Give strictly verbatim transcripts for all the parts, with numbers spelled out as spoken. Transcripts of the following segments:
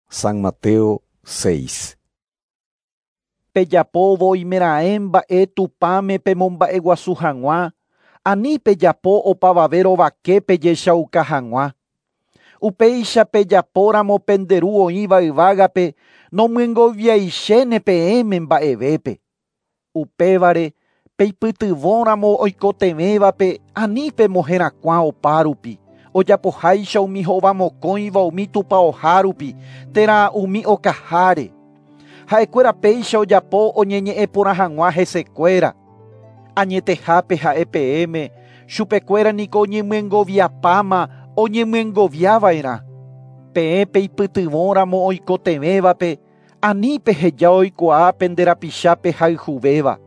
San Mateo seis. Pejapo oimeraẽ mba'e Tupãme pemomba'eguasu hag̃ua, ani pejapo opavave rovake pejechauka hag̃ua. Upéicha pejapóramo pende ru oĩva yvágape nomyengoviaichéne peẽme mba'evépe. Upévare peipytyvõramo oikotevẽvape ani pemoherakuã opárupi, ojapoháicha umi hovamokõiva umi tupãohárupi térã umi okaháre. Ha'ekuéra péicha ojapo oñeñe'ẽ porã hag̃ua hesekuéra. Añetehápe ha'e peẽme, chupekuéra niko oñemyengoviapáma oñemyengoviava'erã. Peẽ peipytyvõramo oikotevẽvape, ani peheja oikuaa pende rapichápe hayhuvéva.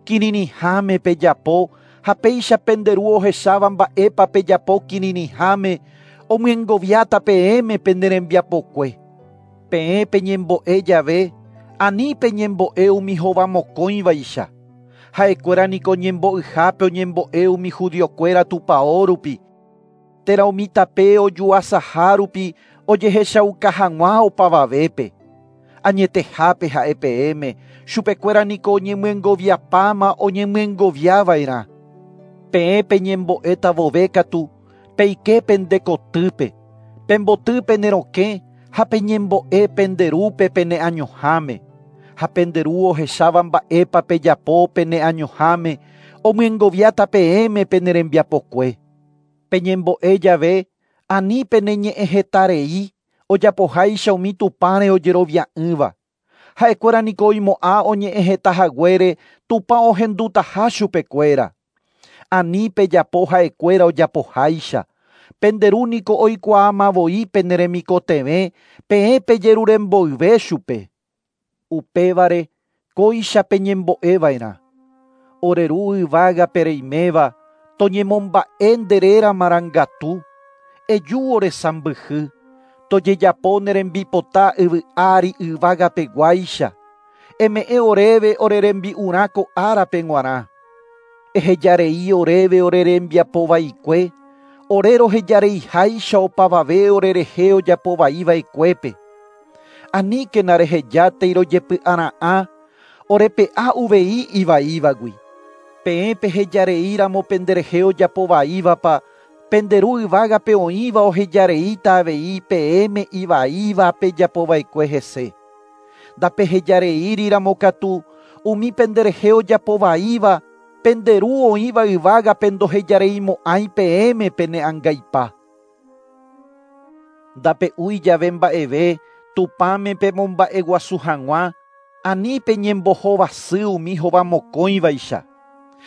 Kirirĩháme pejapo ha péicha pende ru ohecháva mba'épa pejapo kirirĩháme omyengoviáta peẽme pende rembiapokue. Peẽ peñembo'e jave, ani peñembo'e umi hovamokõivaicha. Ha'ekuéra niko ñembo'yhápe oñembo'e umi judiokuéra tupãórupi, térã umi tape ojuasahárupi ojehechauka hag̃ua opavavépe. Añetehápe ha'e peẽme, chupekuéra niko oñemyengoviapáma oñemyengoviava'erã. Peẽ peñembo'éta vove katu, peike pende kotýpe, pemboty pene rokẽ ha peñembo'e pende rúpe peneañoháme. Ha pende ru ohecháva mba'épa pejapo peneañoháme, omyengoviáta peẽme pene rembiapokue. Peñembo'e jave, ani peneñe'ẽhetarei, ojapoháicha umi Tupãre ojerovia'ỹva. Ha'ekuéra niko oimo'ã oñe'ẽhetahaguére Tupã ohendutaha chupekuéra. Ani pejapo ha'ekuéra ojapoháicha. Pende ru niko oikuaamavoi pene remikotevẽ, peẽ pejeruremboyve chupe. Upévare kóicha peñembo'eva'erã. Ore ru yvágape reiméva, toñemomba'e nde réra marangatu, eju ore sãmbyhy, tojejapo ne rembipota yvy ári yvágapeguáicha, eme'ẽ oréve ore rembi'urã ko árape g̃uarã. Ehejarei oréve ore rembiapovaikue, ore rohejareiháicha opavave orerehe ojapovaiva'ekuépe. Aníkena rehejátei rojepy'ara'ã, orepe'a uvei ivaívagui. Peẽ pehejareíramo penderehe ojapovaívapa, pende ru yvágape oĩva ohejareíta avei peẽme ivaíva pejapova'ekue hese. Ndapehejareíriramo katu, umi penderehe ojapovaíva, pende ru oĩva yvágape ndohejareimo'ãi peẽme peneangaipa. Ndape'úi jave mba'eve, Tupãme pemomba'eguasu hag̃ua, ani peñembohovasy umi hovamokõivaicha.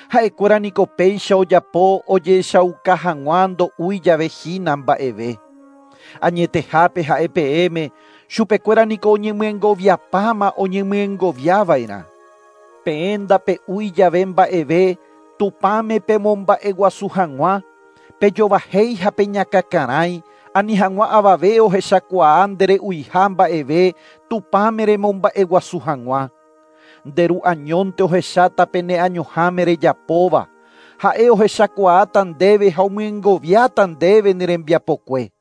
Ha'ekuéra niko péicha ojapo ojechauka hag̃ua ndo'úi jave hína mba'eve. Añetehápe ha'e peẽme, chupekuéra niko oñemyengoviapáma oñemyengoviava'erã. Peẽ ndape'úi jave mba'eve, Tupãme pemomba'eguasu hag̃ua, pejovahéi ha peñakakarãi, ani hag̃ua avave ohechakuaa ndere'uiha mba'eve Tupãme remomba'eguasu hag̃ua. Nde ru añónte ohecháta peneañoháme rejapóva, ha'e ohechakuaáta ndéve ha omyengoviáta ndéve ne rembiapokue.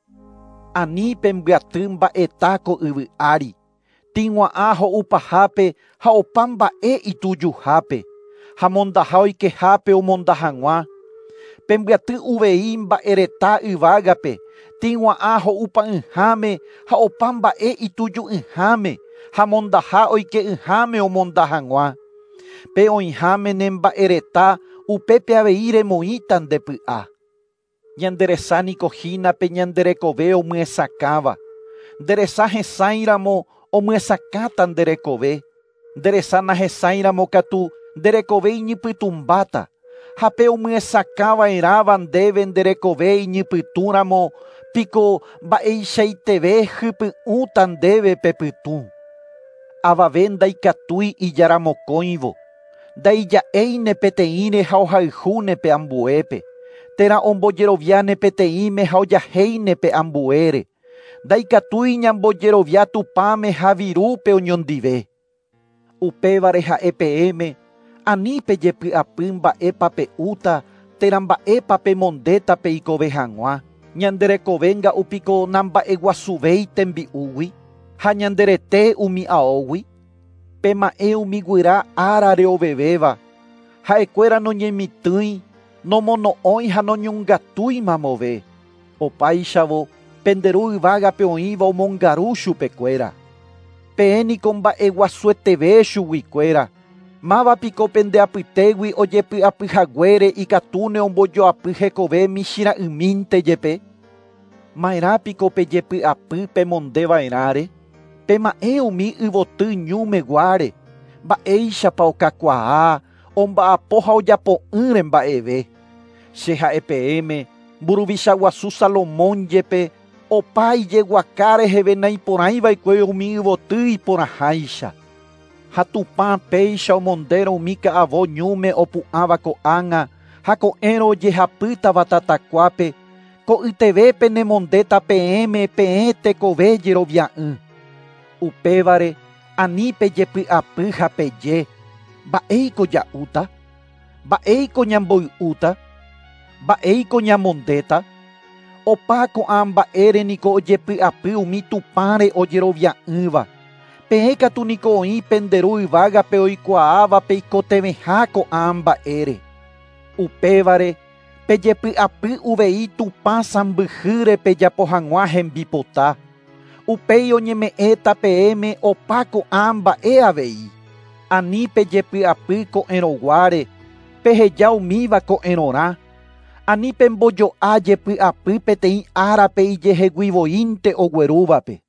Ani pembyaty mba'eta ko yvy ári, tĩgua'ã ho'upahápe ha opa mba'e itujuhápe, ha mondaha oikehápe omonda hag̃ua. Pembyaty uvei mba'ereta yvágape, tĩgua'ã ho'upa'ỹháme ha opa mba'e ituju'ỹháme, ha mondaha oike'ỹháme omonda hag̃ua. Pe oĩháme ne mba'ereta, upépe avei remoĩta nde py'a. Ñande resa niko hína pe ñande rekove omyesakãva. Nde resa hesãiramo omyesakãta nde rekove. Nde resa nahesãiramo katu nde rekove iñypytũmbáta. Ha pe omyesakãva'erãva ndéve nde rekove iñypytũramo, piko mba'eichaiteve hypy'ũta ndéve pepytũ. Avave ndaikatúi ijaramokõivo, ndaija'éine peteĩre ha ohayhúne pe ambuépe, térã ombojeroviáne peteĩme ha ojahéine pe ambuére. Ndaikatúi ñambojerovia Tupãme ha virúpe oñondive. Upévare ha'e peẽme, ani pejepy'apy mba'épa pe'úta térã mba'épa pemondéta peikove hag̃ua. Ñande rekove nga'upiko namba'eguasuvéi tembi'úgui. Ha ñande rete umi aógui? Pema'ẽ umi guyra árare ovevéva. Ha'ekuéra noñemitỹi, nomono'õi ha noñongatúi mamove. Opáichavo pende ru yvágape oĩva omongaru chupekuéra. Peẽ niko mba'eguasueteve chuguikuéra. Máva piko pende apytégui ojepy'apyhaguére ikatúne ombojoapy hekove michĩra'ymínte jepe. Ma'erã piko pejepy'apy pemondeva'erãre. Pema'ẽ umi yvoty ñúmeguáre. Mba'éichapa okakuaa, omba'apo ha ojapo'ỹre mba'eve. Che ha'e peẽme, mburuvicha guasu Salomón jepe opa ijeguaka reheve naiporãiva'ekue umi yvoty iporãháicha. Ha Tupã péicha omondérõ umi ka'avo ñúme opu'ãva ko'ág̃a ha ko'ẽrõ ojehapýtava tatakuápe, ko'yteve penemondéta peẽme peẽ tekove jerovia'ỹ. Upévare ani pejepy'apy ha peje, mba'éiko ja'úta, mba'éiko ñamboy'úta, mba'éiko ñamondéta. Opa ko'ã mba'ére niko ojepy'apy umi Tupãre ojerovia'ỹva. Peẽ katu niko oĩ pende ru yvágape oikuaáva peikotevẽha ko'ã mba'ére. Upévare pejepy'apy uvei Tupã sãmbyhýre pejapo hag̃ua hembipota. Upéi oñeme'ẽta peẽme opa ko'ã mba'e avei. Ani pejepy'apy ko'ẽrõguáre, peheja umíva ko'ẽrõrã. Ani pembojo'a jepy'apy peteĩ árape ijeheguivoínte oguerúvape.